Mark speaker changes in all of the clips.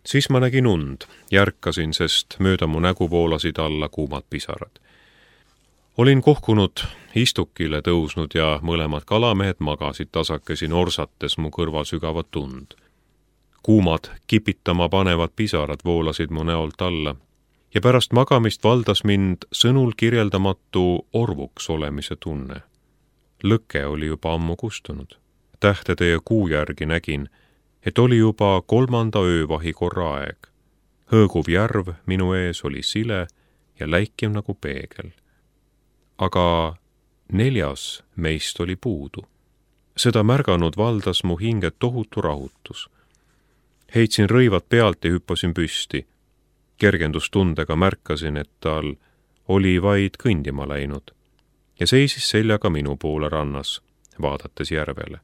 Speaker 1: Siis ma nägin und, järkasin, sest mööda mu nägu voolasid alla kuumad pisarad. Olin kohkunud istukile tõusnud ja mõlemad kalamehed magasid tasakesi norsates mu kõrval sügavat und. Kuumad, kipitama panevad pisarad voolasid mu näolt alla ja pärast magamist valdas mind sõnul kirjeldamatu orvuks olemise tunne. Lõke oli juba ammu kustunud. Tähtede ja kuu järgi nägin, et oli juba 3. öövahi korra aeg. Hõõguv järv minu ees oli sile ja läikiv nagu peegel. Aga 4. meist oli puudu. Seda märganud valdas mu hinge tohutu rahutus. Heitsin rõivad pealt ja hüppasin püsti. Kergendustundega märkasin, et tal oli vaid kõndima läinud ja seisis seljaga minu poole rannas, vaadates järvele.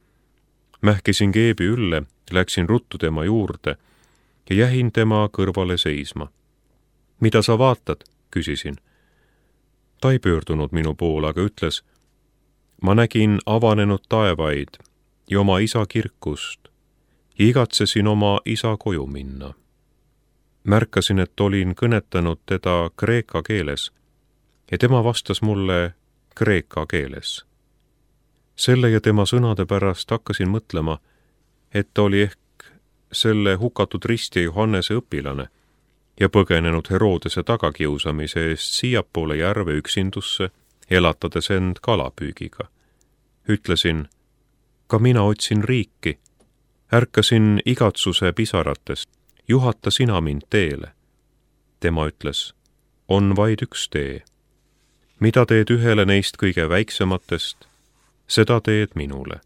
Speaker 1: Mähkisin keebi ülle, läksin ruttu tema juurde ja jähin tema kõrvale seisma. Mida sa vaatad? Küsisin. Ta ei pöördunud minu poole, aga ütles, ma nägin avanenud taevaid ja oma isa kirkust ja igatsesin oma isa koju minna. Märkasin, et olin kõnetanud teda kreeka keeles ja tema vastas mulle kreeka keeles. Selle ja tema sõnade pärast hakkasin mõtlema, et ta oli ehk selle hukatud ristja Johannese õpilane ja põgenenud Herodese tagakiusamise eest siiapoole järve üksindusse, elatades end kalapüügiga. Ütlesin, ka mina otsin riiki, ärkasin igatsuse pisaratest, juhata sina mind teele. Tema ütles, on vaid üks tee. Mida teed ühele neist kõige väiksematest, seda teed minule.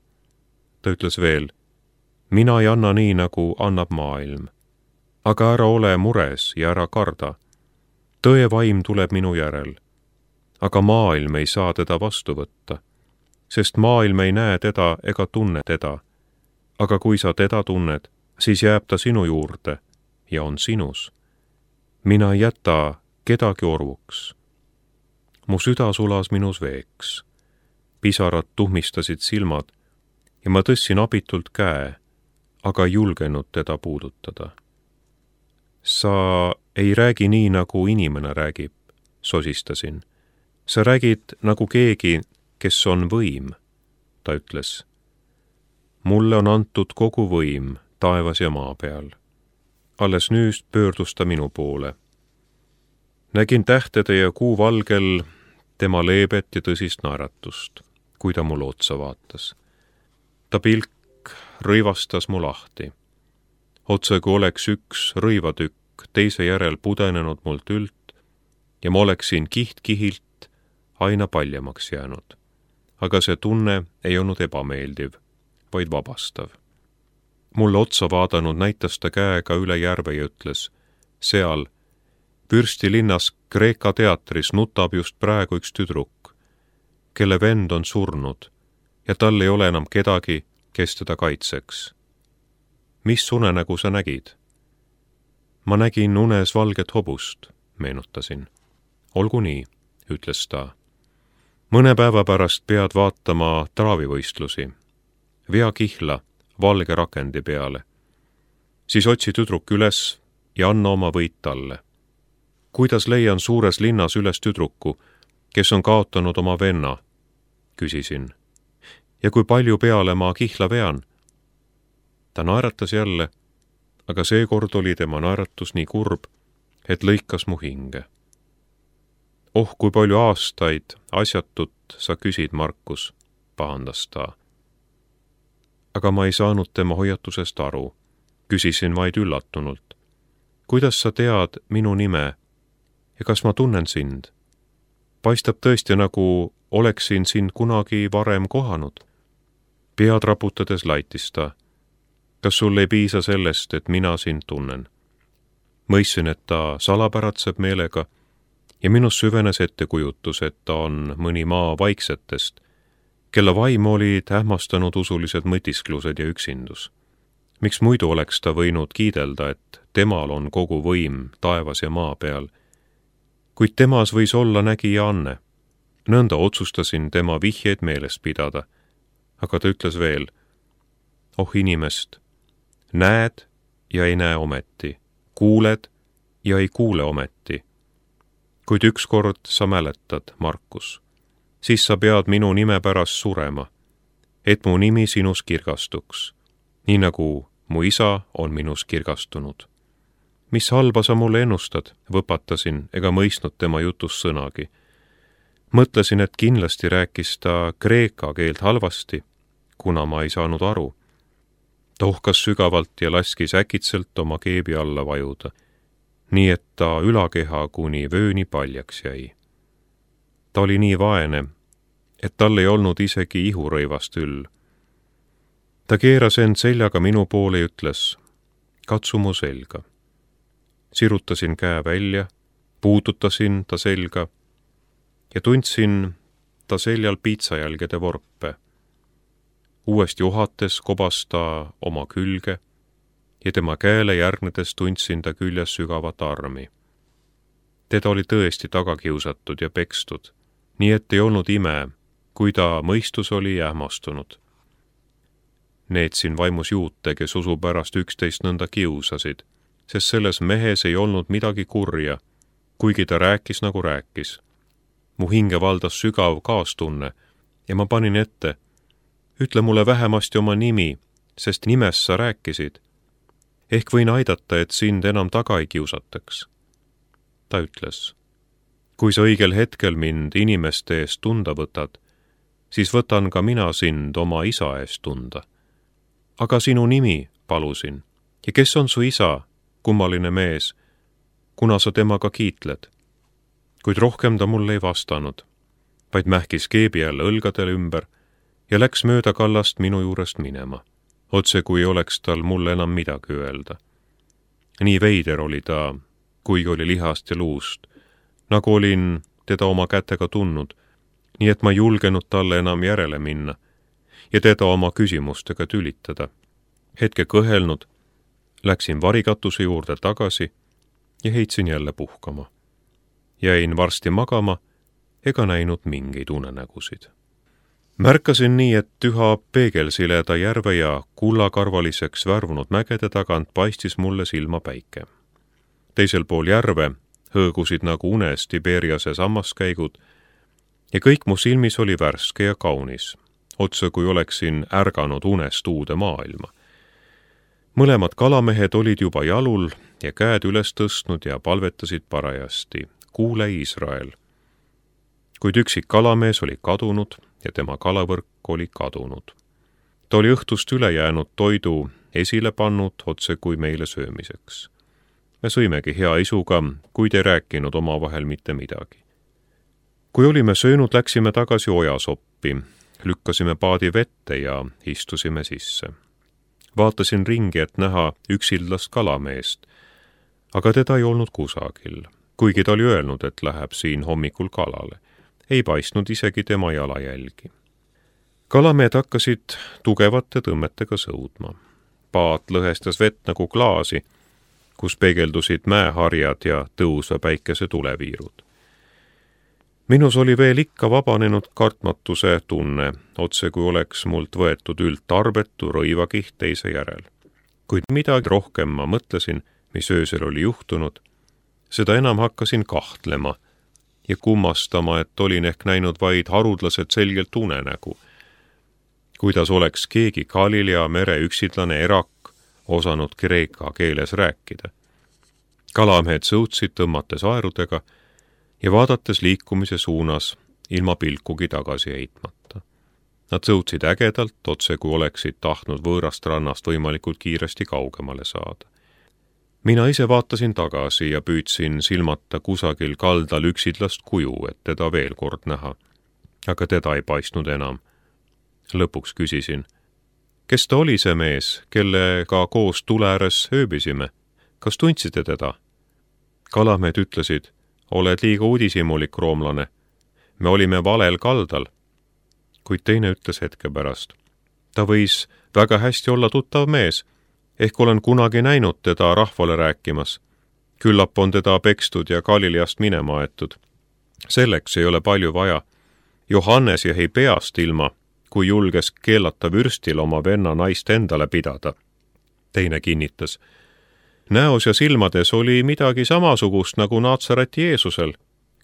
Speaker 1: Ta ütles veel, mina ei anna nii, nagu annab maailm. Aga ära ole mures ja ära karda. Tõe vaim tuleb minu järel. Aga maailm ei saa teda vastu võtta, sest maailm ei näe teda ega tunne teda. Aga kui sa teda tunned, siis jääb ta sinu juurde ja on sinus. Mina ei jäta kedagi orvuks. Mu süda sulas minus veeks. Pisarad tuhmistasid silmad ja ma tõssin abitult käe, aga ei julgenud teda puudutada. Sa ei räägi nii, nagu inimene räägib, sosistasin. Sa räägid nagu keegi, kes on võim, ta ütles. Mulle on antud kogu võim taevas ja maa peal. Alles nüüd pöördus ta minu poole. Nägin tähtede ja kuu valgel tema leebet ja tõsist naeratust, kui ta mulle otsa vaatas. Ta pilk rõivastas mu lahti. Otse kui oleks üks rõivatükk teise järel pudenenud mult ült ja ma oleksin kiht-kihilt aina paljemaks jäänud. Aga see tunne ei olnud ebameeldiv, vaid vabastav. Mulle otsa vaadanud näitas ta käega üle järve ja ütles, seal, Pürstilinnas Kreeka teatris nutab just praegu üks tüdruk, kelle vend on surnud ja tal ei ole enam kedagi, kes teda kaitseks. Mis unenägu sa nägid? Ma nägin unes valget hobust, meenutasin. Olgu nii, ütles ta. Mõne päeva pärast pead vaatama traavivõistlusi. Vea kihla valge rakendi peale. Siis otsi tüdruk üles ja anna oma võit talle. Kuidas leian suures linnas üles tüdruku, kes on kaotanud oma venna? Küsisin. Ja kui palju peale ma kihla vean? Ta naeratas jälle, aga seekord oli tema naeratus nii kurb, et lõikas mu hinge. Oh, kui palju aastaid asjatut sa küsid, Markus, pahandas ta. Aga ma ei saanud tema hoiatusest aru. Küsisin vaid üllatunult. Kuidas sa tead minu nime ja kas ma tunnen sind? Paistab tõesti, nagu oleksin sind kunagi varem kohanud. Pead raputades laitis ta. Kas sul ei piisa sellest, et mina sind tunnen? Mõistsin, et ta salapäratseb meelega ja minus süvenes ettekujutus, et ta on mõni maa vaiksetest, kelle vaimu olid hämmastanud usulised mõtisklused ja üksindus. Miks muidu oleks ta võinud kiidelda, et temal on kogu võim taevas ja maa peal, kuid temas võis olla nägija Anne. Nõnda otsustasin tema vihjeid meeles pidada, aga ta ütles veel, oh inimest, näed ja ei näe ometi, kuuled ja ei kuule ometi. Kuid ükskord sa mäletad, Markus, siis sa pead minu nime pärast surema, et mu nimi sinus kirgastuks, nii nagu mu isa on minus kirgastunud. Mis halba sa mulle ennustad, võpatasin ega mõistnud tema jutust sõnagi. Mõtlesin, et kindlasti rääkis ta kreeka keelt halvasti, kuna ma ei saanud aru. Ta uhkas sügavalt ja laskis äkitselt oma keebi alla vajuda, nii et ta ülakeha kuni vööni paljaks jäi. Ta oli nii vaene, et tal ei olnud isegi ihurõivast üll. Ta keeras end seljaga minu poole ja ütles, katsu mu selga. Sirutasin käe välja, puudutasin ta selga ja tundsin ta seljal piitsajälgede vorpe. Uuesti uhates kobas ta oma külge ja tema käele järgnedes tundsin ta küljes sügavat armi. Teda oli tõesti tagakiusatud ja pekstud, nii et ei olnud ime, kui ta mõistus oli ähmastunud. Neetsin vaimus juute, kes usu pärast üksteist nõnda kiusasid, sest selles mehes ei olnud midagi kurja, kuigi ta rääkis nagu rääkis. Mu hinge valdas sügav kaastunne ja ma panin ette, ütle mulle vähemasti oma nimi, sest nimest sa rääkisid. Ehk võin aidata, et sind enam taga ei kiusataks. Ta ütles, kui sa õigel hetkel mind inimeste eest tunda võtad, siis võtan ka mina sind oma isa eest tunda. Aga sinu nimi, palusin, ja kes on su isa, kummaline mees, kuna sa temaga kiitled? Kuid rohkem ta mulle ei vastanud, vaid mähkis keebi jälle õlgadele ümber ja läks mööda kallast minu juurest minema, otse kui oleks tal mulle enam midagi öelda. Nii veider oli ta, kuigi oli lihast ja luust, nagu olin teda oma kätega tundnud, nii et ma julgenud talle enam järele minna ja teda oma küsimustega tülitada. Hetke kõhelnud, läksin varikatuse juurde tagasi ja heitsin jälle puhkama. Jäin varsti magama ega näinud mingeid unenägusid. Märkasin nii, et üha peegelsileda järve ja kullakarvaliseks värvunud mägede tagant paistis mulle silma päike. Teisel pool järve hõõgusid nagu unes Tiberiase sammaskäigud ja kõik mu silmis oli värske ja kaunis, otse kui oleksin ärganud unest uude maailma. Mõlemad kalamehed olid juba jalul ja käed üles tõstnud ja palvetasid parajasti, kuule Iisrael. Kuid üksik kalamees oli kadunud ja tema kalavõrk oli kadunud. Ta oli õhtust üle jäänud toidu esile pannud otse kui meile söömiseks. Me sõimegi hea isuga, kuid ei rääkinud omavahel mitte midagi. Kui olime söönud, läksime tagasi ojasoppi, lükkasime paadi vette ja istusime sisse. Vaatasin ringi, et näha üksildast kalameest, aga teda ei olnud kusagil, kuigi ta oli öelnud, et läheb siin hommikul kalale. Ei paistnud isegi tema jalajälgi. Kalamehed hakkasid tugevate tõmmetega sõudma. Paat lõhestas vett nagu klaasi, kus peegeldusid mäeharjad ja tõusva päikese tuleviirud. Minus oli veel ikka vabanenud kartmatuse tunne, otse kui oleks mult võetud üldtarbetu rõivakiht teise järel. Kuid midagi rohkem ma mõtlesin, mis öösel oli juhtunud, seda enam hakkasin kahtlema ja kummastama, et olin ehk näinud vaid harudlaselt selgelt unenägu. Kuidas oleks keegi Galilea mere üksidlane erak osanud kreeka keeles rääkida. Kalamehed sõutsid tõmmates aerudega ja vaadates liikumise suunas ilma pilkugi tagasi heitmata. Nad sõutsid ägedalt, otse kui oleksid tahtnud võõrast rannast võimalikult kiiresti kaugemale saada. Mina ise vaatasin tagasi ja püüdsin silmata kusagil kaldal üksidlast kuju, et teda veel kord näha. Aga teda ei paistnud enam. Lõpuks küsisin, kes ta oli see mees, kellega koos tule ääres ööbisime? Kas tundsite teda? Kalamehed ütlesid, oled liiga udisimulik, roomlane. Me olime valel kaldal. Kuid teine ütles hetke pärast. Ta võis väga hästi olla tuttav mees. Ehk olen kunagi näinud teda rahvale rääkimas. Küllap on teda pekstud ja Galileast minema aetud. Selleks ei ole palju vaja. Johannes jäi peast ilma, kui julges keelata vürstil oma venna naist endale pidada. Teine kinnitas. näos ja silmades oli midagi samasugust nagu Naatsareti Jeesusel.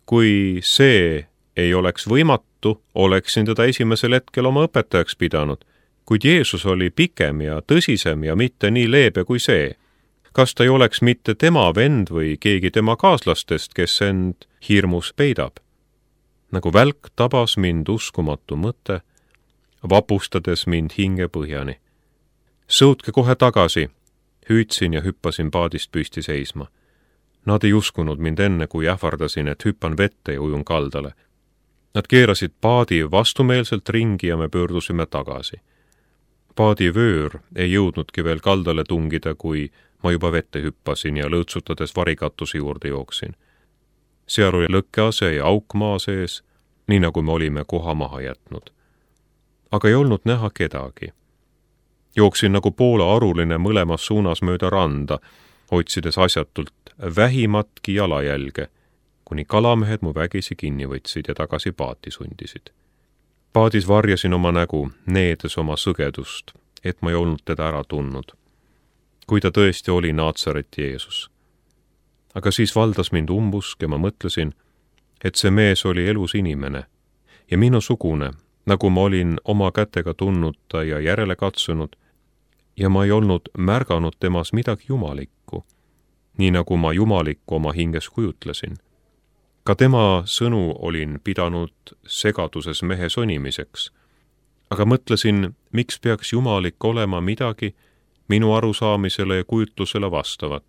Speaker 1: Kui see ei oleks võimatu, oleksin teda esimesel hetkel oma õpetajaks pidanud, kuid Jeesus oli pikem ja tõsisem ja mitte nii leebe kui see. Kas ta ei oleks mitte tema vend või keegi tema kaaslastest, kes end hirmus peidab? Nagu välk tabas mind uskumatu mõte, vapustades mind hinge põhjani. Sõutke kohe tagasi, hüüdsin ja hüppasin paadist püsti seisma. Nad ei uskunud mind enne, kui ähvardasin, et hüppan vette ja ujun kaldale. Nad keerasid paadi vastumeelselt ringi ja me pöördusime tagasi. Paadi vöör ei jõudnudki veel kaldale tungida, kui ma juba vette hüppasin ja lõõtsutades varikatuse juurde jooksin. Seal oli lõkkease ja auk maa sees, nii nagu me olime koha maha jätnud. Aga ei olnud näha kedagi. Jooksin nagu Poola aruline mõlemas suunas mööda randa, otsides asjatult vähimatki jalajälge, kuni kalamehed mu vägisi kinni võtsid ja tagasi paati sundisid. Paadis varjasin oma nägu, needes oma sõgedust, et ma ei olnud teda ära tundnud. Kui ta tõesti oli Naatsareti Jeesus. Aga siis valdas mind umbusk ja ma mõtlesin, et see mees oli elus inimene ja minusugune, nagu ma olin oma kätega tundnud ta ja järele katsunud, ja ma ei olnud märganud temas midagi jumalikku, nii nagu ma jumalikku oma hinges kujutlesin. Ka tema sõnu olin pidanud segaduses mehe sonimiseks, aga mõtlesin, miks peaks jumalik olema midagi minu arusaamisele ja kujutlusele vastavat.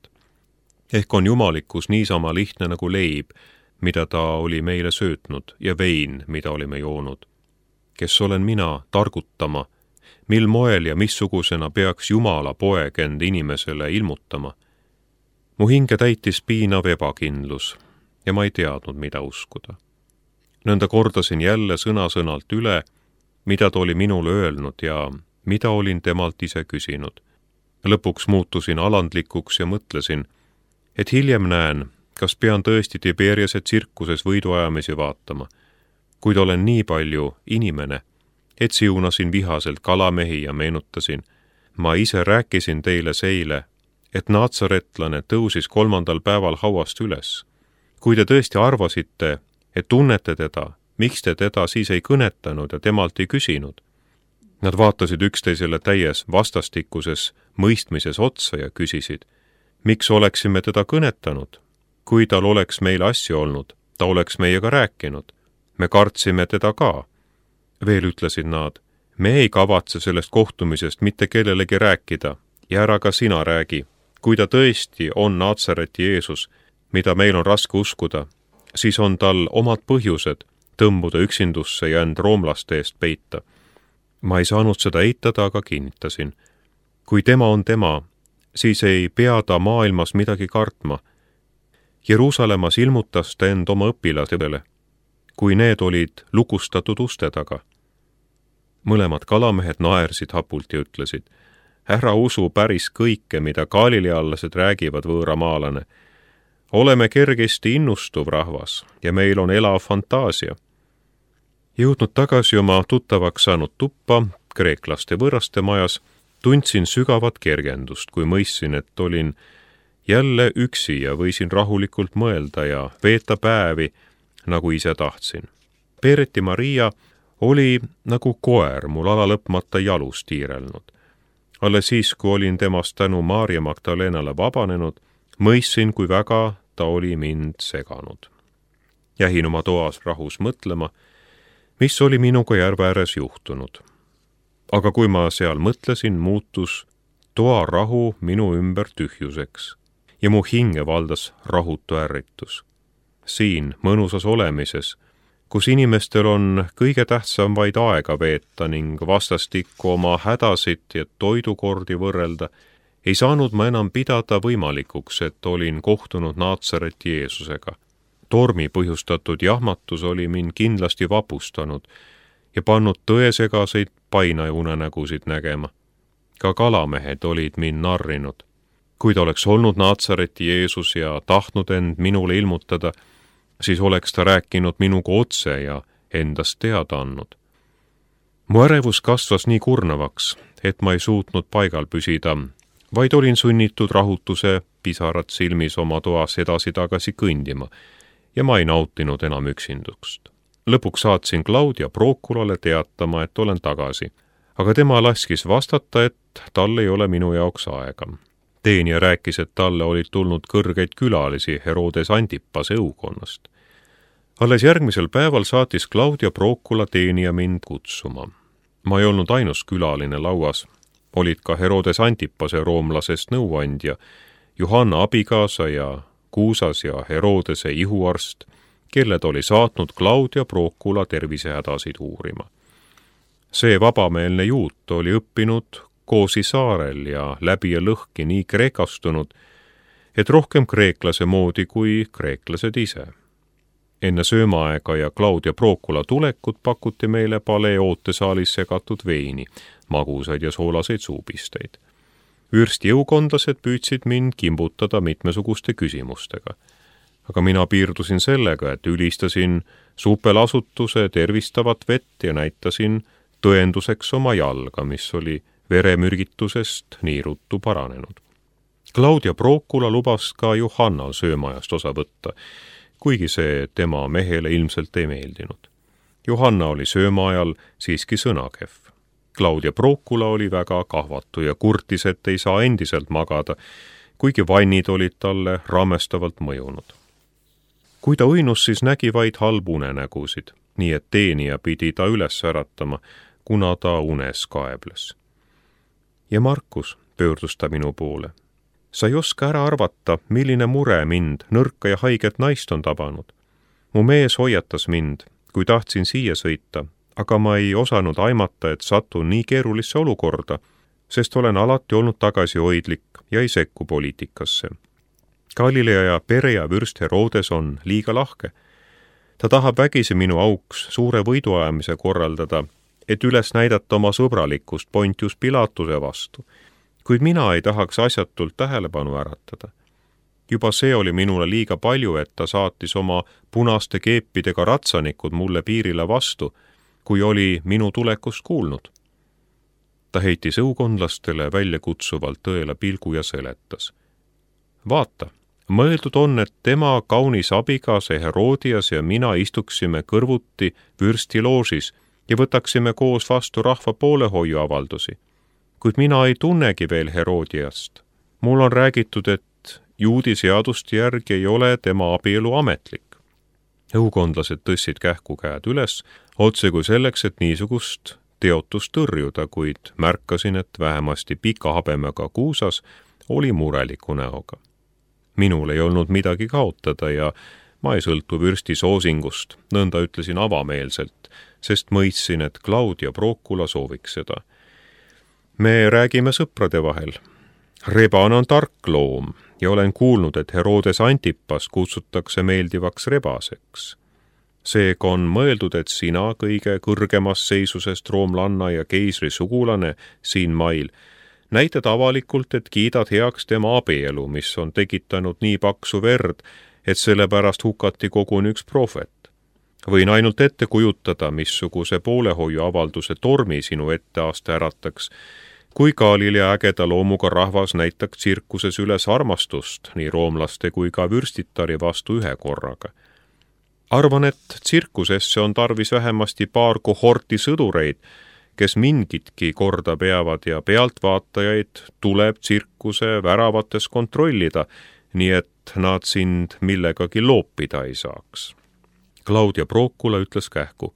Speaker 1: Ehk on jumalikkus niisama lihtne nagu leib, mida ta oli meile söötnud, ja vein, mida olime joonud. Kes olen mina targutama, mil moel ja missugusena peaks Jumala poeg end inimesele ilmutama. Mu hinge täitis piinav ebakindlus ja ma ei teadnud, mida uskuda. Nõnda kordasin jälle sõna-sõnalt üle, mida ta oli minule öelnud ja mida olin temalt ise küsinud. Lõpuks muutusin alandlikuks ja mõtlesin, et hiljem näen, kas pean tõesti Tiberiase tsirkuses võiduajamisi vaatama, kuid olen nii palju inimene, et siunasin vihaselt kalamehi ja meenutasin. Ma ise rääkisin teile seile, et naatsaretlane tõusis 3. päeval hauast üles. Kui te tõesti arvasite, et tunnete teda, miks te teda siis ei kõnetanud ja temalt ei küsinud? Nad vaatasid üksteisele täies vastastikuses mõistmises otsa ja küsisid, miks oleksime teda kõnetanud? Kui tal oleks meil asju olnud, ta oleks meiega rääkinud. Me kartsime teda ka. Veel ütlesid nad, me ei kavatse sellest kohtumisest mitte kellelegi rääkida ja ära ka sina räägi. Kui ta tõesti on Naatsareti Jeesus, mida meil on raske uskuda, siis on tal omad põhjused tõmbuda üksindusse ja end roomlaste eest peita. Ma ei saanud seda eitada, aga kinnitasin. Kui tema on tema, siis ei pea ta maailmas midagi kartma. Jeruusalemmas ilmutas ta end oma õpilastele, kui need olid lukustatud uste taga. Mõlemad kalamehed naersid hapult ja ütlesid, ära usu päris kõike, mida galileallased räägivad võõramaalane. Oleme kergesti innustuv rahvas ja meil on elav fantaasia. Jõudnud tagasi oma tuttavaks saanud tuppa, kreeklaste võõraste majas, tundsin sügavat kergendust, kui mõistsin, et olin jälle üksi ja võisin rahulikult mõelda ja veeta päevi, nagu ise tahtsin. Peereti Maria oli nagu koer mul alalõpmata jalus tiirelnud. Alles siis, kui olin temast tänu Maarja Magdalenale vabanenud, mõistsin, kui väga ta oli mind seganud. Jähin oma toas rahus mõtlema, mis oli minuga järve ääres juhtunud. Aga kui ma seal mõtlesin, muutus toa rahu minu ümber tühjuseks ja mu hinge valdas rahutu ärritus. Siin mõnusas olemises, kus inimestel on kõige tähtsam vaid aega veeta ning vastastikku oma hädasid ja toidukordi võrrelda, ei saanud ma enam pidada võimalikuks, et olin kohtunud Naatsareti Jeesusega. Tormi põhjustatud jahmatus oli mind kindlasti vapustanud ja pannud tõesegaseid painaunenägusid nägema. Ka kalamehed olid mind narrinud. Kui ta oleks olnud Naatsareti Jeesus ja tahtnud end minule ilmutada, siis oleks ta rääkinud minuga otse ja endast teada andnud. Mu ärevus kasvas nii kurnavaks, et ma ei suutnud paigal püsida, vaid olin sunnitud rahutuse pisarad silmis oma toas edasi-tagasi kõndima ja ma ei nautinud enam üksindust. Lõpuks saatsin Claudia Proculale teatama, et olen tagasi, aga tema laskis vastata, et tal ei ole minu jaoks aega. Teenija rääkis, et talle olid tulnud kõrgeid külalisi Herodes Antipase õukonnast. Alles järgmisel päeval saatis Claudia Procula teenija mind kutsuma. Ma ei olnud ainus külaline lauas, olid ka Herodes Antipase roomlasest nõuandja, Johanna abikaasa ja Kuusas ja Herodese ihuarst, kelled oli saatnud Claudia Procula tervisehädasid uurima. See vabameelne juut oli õppinud Koosi saarel ja läbi ja lõhki nii kreekastunud, et rohkem kreeklase moodi kui kreeklased ise. Enne söömaaega ja Claudia Procula tulekut pakuti meile palee ootesaalis segatud veini, magusaid ja soolaseid suupisteid. Vürsti jõukondlased püüdsid mind kimbutada mitmesuguste küsimustega. Aga mina piirdusin sellega, et ülistasin supelasutuse tervistavat vett ja näitasin tõenduseks oma jalga, mis oli veremürgitusest nii ruttu paranenud. Claudia Procula lubas ka Johannal söömajast osa võtta, kuigi see tema mehele ilmselt ei meeldinud. Johanna oli söömaajal siiski sõnakehv. Claudia Procula oli väga kahvatu ja kurtis, et ei saa endiselt magada, kuigi vannid olid talle rammestavalt mõjunud. Kui ta uinus, siis nägi vaid halb unenägusid, nii et teenija pidi ta üles äratama, kuna ta unes kaebles. Ja Markus, pöördus ta minu poole. Sa ei oska ära arvata, milline mure mind, nõrka ja haiget naist on tabanud. Mu mees hoiatas mind, kui tahtsin siia sõita, aga ma ei osanud aimata, et satun nii keerulisse olukorda, sest olen alati olnud tagasihoidlik ja ei sekku poliitikasse. Galilea pere ja vürst Herodes on liiga lahke. Ta tahab vägisi minu auks suure võiduajamise korraldada, et üles näidata oma sõbralikkust Pontius Pilatuse vastu, kuid mina ei tahaks asjatult tähelepanu äratada. Juba see oli minule liiga palju, et ta saatis oma punaste keepidega ratsanikud mulle piirile vastu, kui oli minu tulekust kuulnud. Ta heitis õukondlastele väljakutsuvalt tõele pilgu ja seletas. Vaata, mõeldud on, et tema kaunis abikaasa Herodias ja mina istuksime kõrvuti vürstiloožis ja võtaksime koos vastu rahva poolehoiuavaldusi. Kuid mina ei tunnegi veel Herodiast. Mul on räägitud, et juudi seaduste järgi ei ole tema abielu ametlik. Õukondlased tõstsid kähku käed üles, otse kui selleks, et niisugust teotust tõrjuda, kuid märkasin, et vähemasti pika habemega Kuusas oli mureliku näoga. Minul ei olnud midagi kaotada ja ma ei sõltu vürsti soosingust, nõnda ütlesin avameelselt, sest mõistsin, et Claudia Procula sooviks seda. Me räägime sõprade vahel. Reban on tark loom ja olen kuulnud, et Herodes Antipas kutsutakse meeldivaks rebaseks. Seega on mõeldud, et sina kõige kõrgemast seisusest roomlanna ja keisri sugulane siin mail näitad avalikult, et kiidad heaks tema abielu, mis on tekitanud nii paksu verd, et sellepärast hukati koguni üks prohvet. Võin ainult ette kujutada, missuguse poolehoiuavalduse tormi sinu etteaste ärataks, kui Galilea ägeda loomuga rahvas näitaks tsirkuses üles armastust nii roomlaste kui ka vürstitari vastu ühe korraga. Arvan, et tsirkusesse on tarvis vähemasti paar kohorti sõdureid, kes mingitki korda peavad ja pealtvaatajaid tuleb tsirkuse väravates kontrollida, nii et nad sind millegagi loopida ei saaks. Claudia Procula ütles kähku.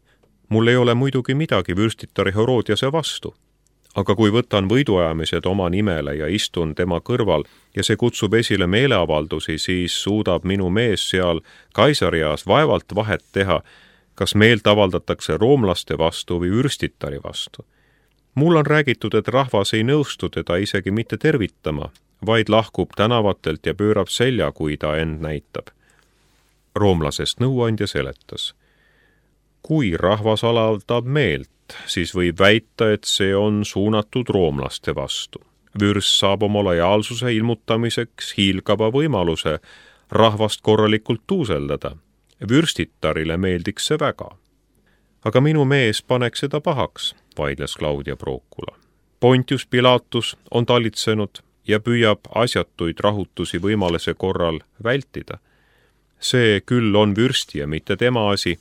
Speaker 1: Mul ei ole muidugi midagi vürstitari Herodiase vastu, aga kui võtan võiduajamised oma nimele ja istun tema kõrval ja see kutsub esile meeleavaldusi, siis suudab minu mees seal Kaisarias vaevalt vahet teha, kas meelt avaldatakse roomlaste vastu või vürstitari vastu. Mul on räägitud, et rahvas ei nõustu teda isegi mitte tervitama, vaid lahkub tänavatelt ja pöörab selja, kui ta end näitab. Roomlasest nõuandja seletas. Kui rahvas avaldab meelt, siis võib väita, et see on suunatud roomlaste vastu. Vürst saab oma lojaalsuse ilmutamiseks hiilgava võimaluse rahvast korralikult tuuseldada. Vürstitarile meeldiks see väga. Aga minu mees paneks seda pahaks, vaidles Claudia Procula. Pontius Pilatus on talitsenud ja püüab asjatuid rahutusi võimaluse korral vältida. See küll on vürsti ja mitte tema asi,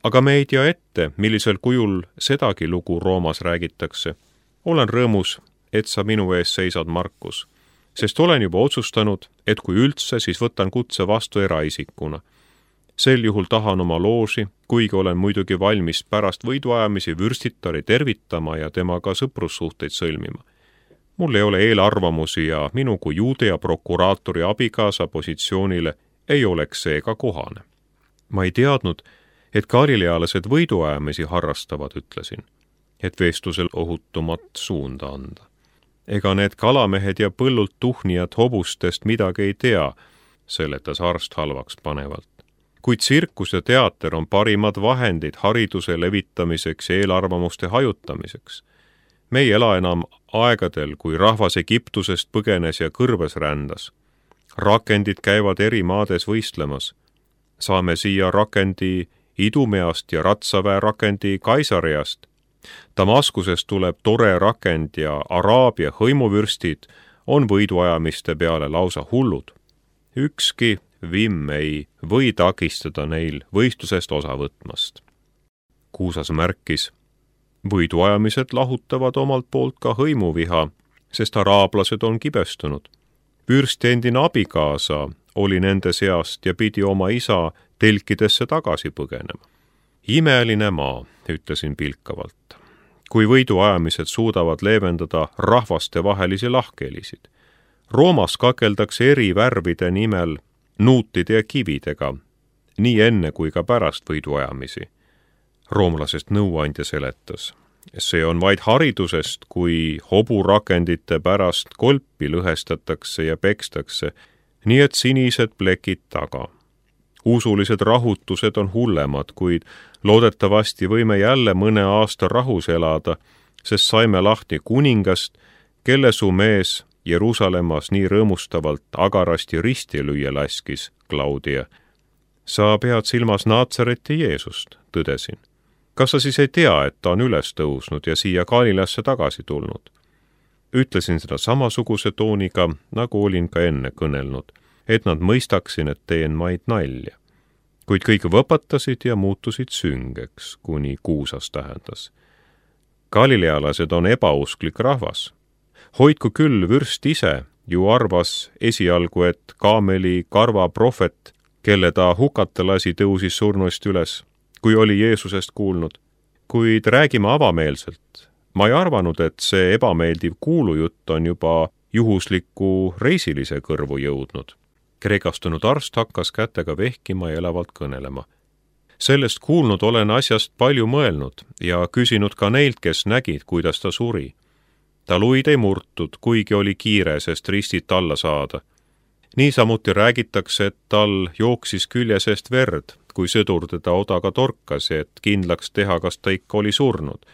Speaker 1: aga me ei tea ette, millisel kujul sedagi lugu Roomas räägitakse. Olen rõõmus, et sa minu ees seisad, Markus, sest olen juba otsustanud, et kui üldse, siis võtan kutse vastu eraisikuna. Sel juhul tahan oma looži, kuigi olen muidugi valmis pärast võiduajamisi vürstitari tervitama ja temaga sõprussuhteid sõlmima. Mul ei ole eelarvamusi ja minu kui Juudea prokuraatori abikaasa positsioonile ei oleks seega kohane. Ma ei teadnud, et galilealased võiduajamisi harrastavad, ütlesin, et vestlusel ohutumat suunda anda. Ega need kalamehed ja põllult tuhnijad hobustest midagi ei tea, seletas arst halvaks panevalt. Kuid tsirkus ja teater on parimad vahendid hariduse levitamiseks ja eelarvamuste hajutamiseks. Me ei ela enam aegadel, kui rahvas Egiptusest põgenes ja kõrbes rändas. Rakendid käivad eri maades võistlemas. Saame siia rakendi Idumeast ja ratsaväe rakendi Kaisariast. Damaskusest tuleb tore rakend ja Araabia hõimuvürstid on võiduajamiste peale lausa hullud. Ükski vimm ei või takistada neil võistlusest osa võtmast. Kuusas märkis, võiduajamised lahutavad omalt poolt ka hõimuviha, sest araablased on kibestunud. Vürsti endine abikaasa oli nende seast ja pidi oma isa telkidesse tagasi põgenema. Imeline maa, ütlesin pilkavalt, kui võiduajamised suudavad leevendada rahvastevahelisi lahkhelisid. Roomas kakeldakse eri värvide nimel nuutide ja kividega, nii enne kui ka pärast võiduajamisi. Roomlasest nõuandja seletas. See on vaid haridusest, kui hoburakendite pärast kolpi lõhestatakse ja pekstakse, nii et sinised plekid taga. Usulised rahutused on hullemad, kuid loodetavasti võime jälle mõne aasta rahus elada, sest saime lahti kuningast, kelle su mees Jeruusalemmas nii rõõmustavalt agarasti risti lüüa laskis, Claudia. Sa pead silmas Naatsareti Jeesust, tõdesin. Kas sa siis ei tea, et ta on üles tõusnud ja siia Galileasse tagasi tulnud? Ütlesin seda samasuguse tooniga, nagu olin ka enne kõnelnud, et nad mõistaksin, et teen maid nalja. Kuid kõik võpatasid ja muutusid süngeks, kuni kuusas tähendas. Galilealased on ebausklik rahvas. Hoidku küll vürst ise, ju arvas esialgu, et kaameli karva prohvet, kelle ta hukata lasi, tõusis surnuist üles, kui oli Jeesusest kuulnud. Kuid räägime avameelselt. Ma ei arvanud, et see ebameeldiv kuulujutt on juba juhusliku reisilise kõrvu jõudnud. Kreekastunud arst hakkas kätega vehkima ja elavalt kõnelema. Sellest kuulnud olen asjast palju mõelnud ja küsinud ka neilt, kes nägid, kuidas ta suri. Ta luid ei murtud, kuigi oli kiire, sest ristit alla saada. Niisamuti räägitakse, et tal jooksis külje seest verd, kui sõdur teda odaga torkas, et kindlaks teha, kas ta ikka oli surnud.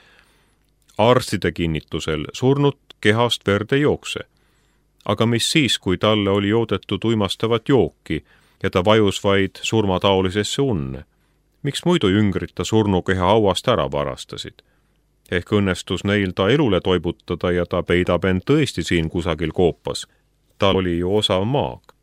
Speaker 1: Arstide kinnitusel surnud kehast verd ei jookse. Aga mis siis, kui talle oli joodetud uimastavat jooki ja ta vajus vaid surmataolisesse unne? Miks muidu jüngrid ta surnukeha hauast ära varastasid? Ehk õnnestus neil ta elule toibutada ja ta peidab end tõesti siin kusagil koopas. Ta oli ju osav maag.